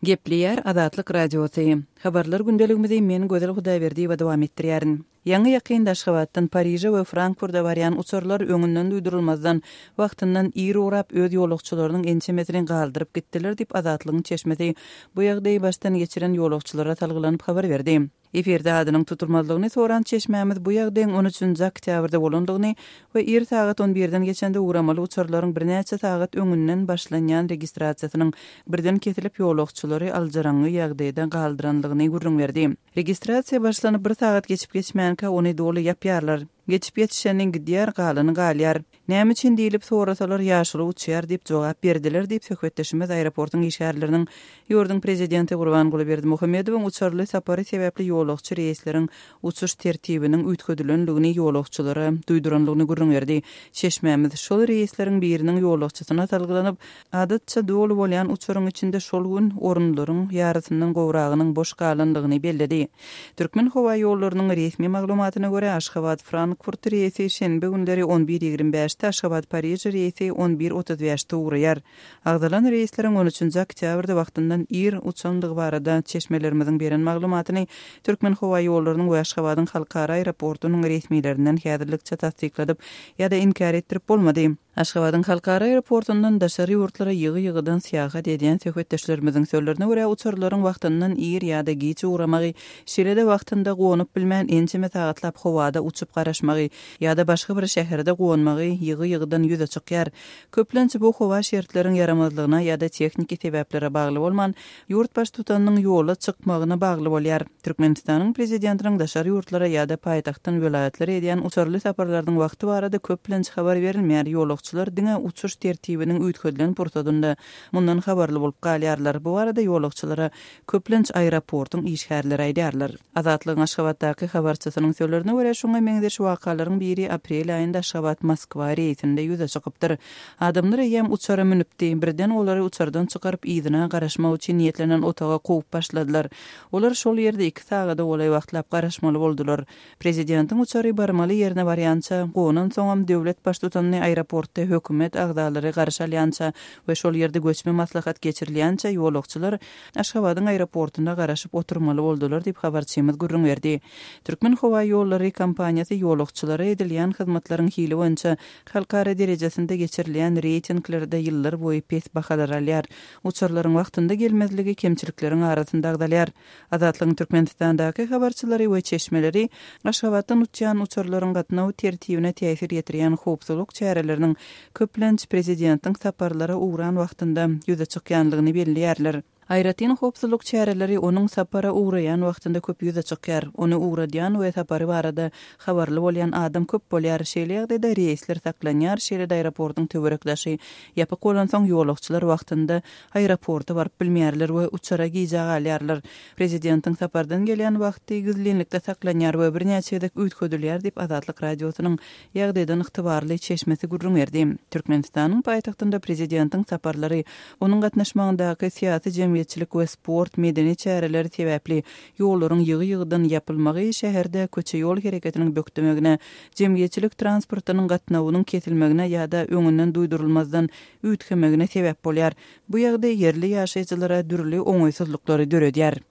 Gepleýär Azatlyk Radiosy. Habarlar gündeligimizi men Gözel Hudaýberdiýewa dowam etdirýärin. Ýaňy-ýakynda Aşgabatdan Pariže we Frankfurda barýan uçarlar öňünden duýdurylmazdan, wagtyndan ir ugrap, öz ýolagçylarynyň ençemesini galdyryp gitdiler diýip, Azatlygyň çeşmesi bu ýagdaýy başdan geçiren ýolagçylara salgylanyp habar berdi. Efirde adynyň tutulmazlygyny soran çeşmämiz bu ýagdaýyň on üçünji oktýabrda bolandygyny we ir sagat on birden geçende ugramaly uçarlaryň birnäçe sagat öňünden başlanýan registrasiýasynyň birden kesilip ýolagçylary aljyraňňy ýagdaýda galdyranlygyny gürrüň berdi. Registrasiýa başlanyp bir sagat geçip-geçmänkä ony doly ýapýarlar. Geçip ýetişeni gidýär, galany galýar. Näme üçin diýlip sorasalar, ýaşuly uçýar diýip jogap berdiler diýip, söhbetdeşimiz aeroportuň işgärleriniň ýurduň prezidenti Gurbanguly Berdimuhamedowyň uçarly sapary sebäpli ýolagçy reýsleriň uçuş tertibiniň üýtgedilendigini ýolagçylara duýdurandygyny gürrüň berdi. Çeşmämiz şol reýsleriň biriniň ýolagçysyna salgylanyp, Adatça doly bolýan uçaryň içinde şol gün orunlaryň ýarysyndan gowragynyň boş galandygyny belledi. Türkmenhowaýollarynyň resmi maglumatyna görä, Aşgabat-Frankfurt reýsi şenbe günleri on bir 25-de, Aşgabat-Pariž reýsi on bir 35-de ugraýar. Agzalan reýsleriň on üçünji oktýabrda wagtyndan ir uçandygy barada çeşmelerimiziň beren maglumatyny Türkmenhowaýollarynyň we Aşgabadyň halkara aeroportunyň resmilerinden häzirlikçe tassykladyp ýa-da inkär etdirip bolmady. Aşgabadyň halkara aeroportundan daşary ýurtlara ýygy-ýygydan syýahat edýän söhbetdeşlerimiziň sözlerine görä, uçarlaryň wagtyndan ir ýa-da giç ugramagy, şeýle-de wagtynda gonup bilmän ençeme sagatlap howada uçup garaşmagy ýa-da başga bir şäherde gonmagy ýygy-ýygydan ýüze çykýar. Köplenç bu howa şertleriň ýaramazlygyna ýa-da tehniki sebäplere bagly bolman, ýurt Baştutanynyň ýola çykmagyna bagly bolýar. Türkmenistanyň Prezidentiniň daşary ýurtlara ýa-da paýtagtdan welaýatlara edýän uçarly saparlarynyň wagty barada köplenç habar berilmeýär, ýolagçylar diňe uçuş tertibiniň üýtgedilen pursadynda mundan habarly bolup galýarlar. Bu barada ýolagçylara köplenç aeroportuň işgärleri aýdýarlar. Azatlygyň Aşgabatdaky habarçysynyň sözlerine görä, şuňa meňzeş wakalaryň biri aprel aýynda Aşgabat-Moskwa reýsinde ýüze çykypdyr. Adamlar eýýäm uçara münüpdi. Birden olary uçardan çykaryp, yzyna garaşmak üçin niýetlenen otaga kowup başladylar. Olar şol ýerde iki sagada golaý wagtlap garaşmaly boldular. Prezidentiň uçary barmaly ýerine barýança, gonansoňam döwlet baştutanyny aeroportda hökümet agzalary garşy alýança we şol ýerde göçme maslahat geçirilýänçä ýolagçylar Aşgabadyň aeroportunda garaşyp oturmaly boldular diýip, habarçymyz gürrüň berdi. Türkmenhowaýollary kompaniýasy ýolagçylara edilýän hyzmatlaryň hili boýunça Halkara derejesinde geçirilýän reýtinglerde ýyllar boýy pes bahalar alýar. Uçarlaryň wagtynda gelmezligi kemçilikleriň arasynda agzalýar. Azatlygyň Türkmenistandaky habarçylary we çeşmeleri Aşgabatdan uçýan uçarlaryň gatnaw tertibine täsir ýetirýän howpsuzlyk çäreleriniň köplenç prezidentiň saparlara ugran wagtynda ýüze çykýanlygyny belleýärler. Aýratyn howpsuzlyk çäreleri onuň sapara ugraýan wagtynda köp ýüze çykýar. Ony ugradýan we sapary barada habarly bolýan adam köp bolýar. Şeýle ýagdaýda reýsler saklanýar, şeýle-de aeroportuň töwerek-daşy ýapyk bolansoň, ýolagçylar wagtynda aeroporta baryp bilmeýärler we uçara gijä galýarlar. Prezidentiň sapardan gelýän wagty gizlinlikde saklanýar we birnäçe gezek üýtgedilýär diýip, Azatlyk Radiosynyň Ýagdaýdan ygtybarly çeşmesi gürrüň berdi. Türkmenistanyň paýtagtynda prezidentiň saparlary, onuň gatnaşmagyndaky syýasy-jemgyýetçilik we sport, medeni çäreleri sebäpli ýollaryň ýygy-ýygydan ýapylmagy şäherde köçe-ýol hereketiniň bökdemegine, jemgyýetçilik transportynyň gatnawynyň kesilmegine ýa-da öňünden duýdurylmazdan üýtgemegine sebäp bolýar. Bu ýagdaý ýerli ýaşaýjylara dürli oňaýsyzlyklary döredýär.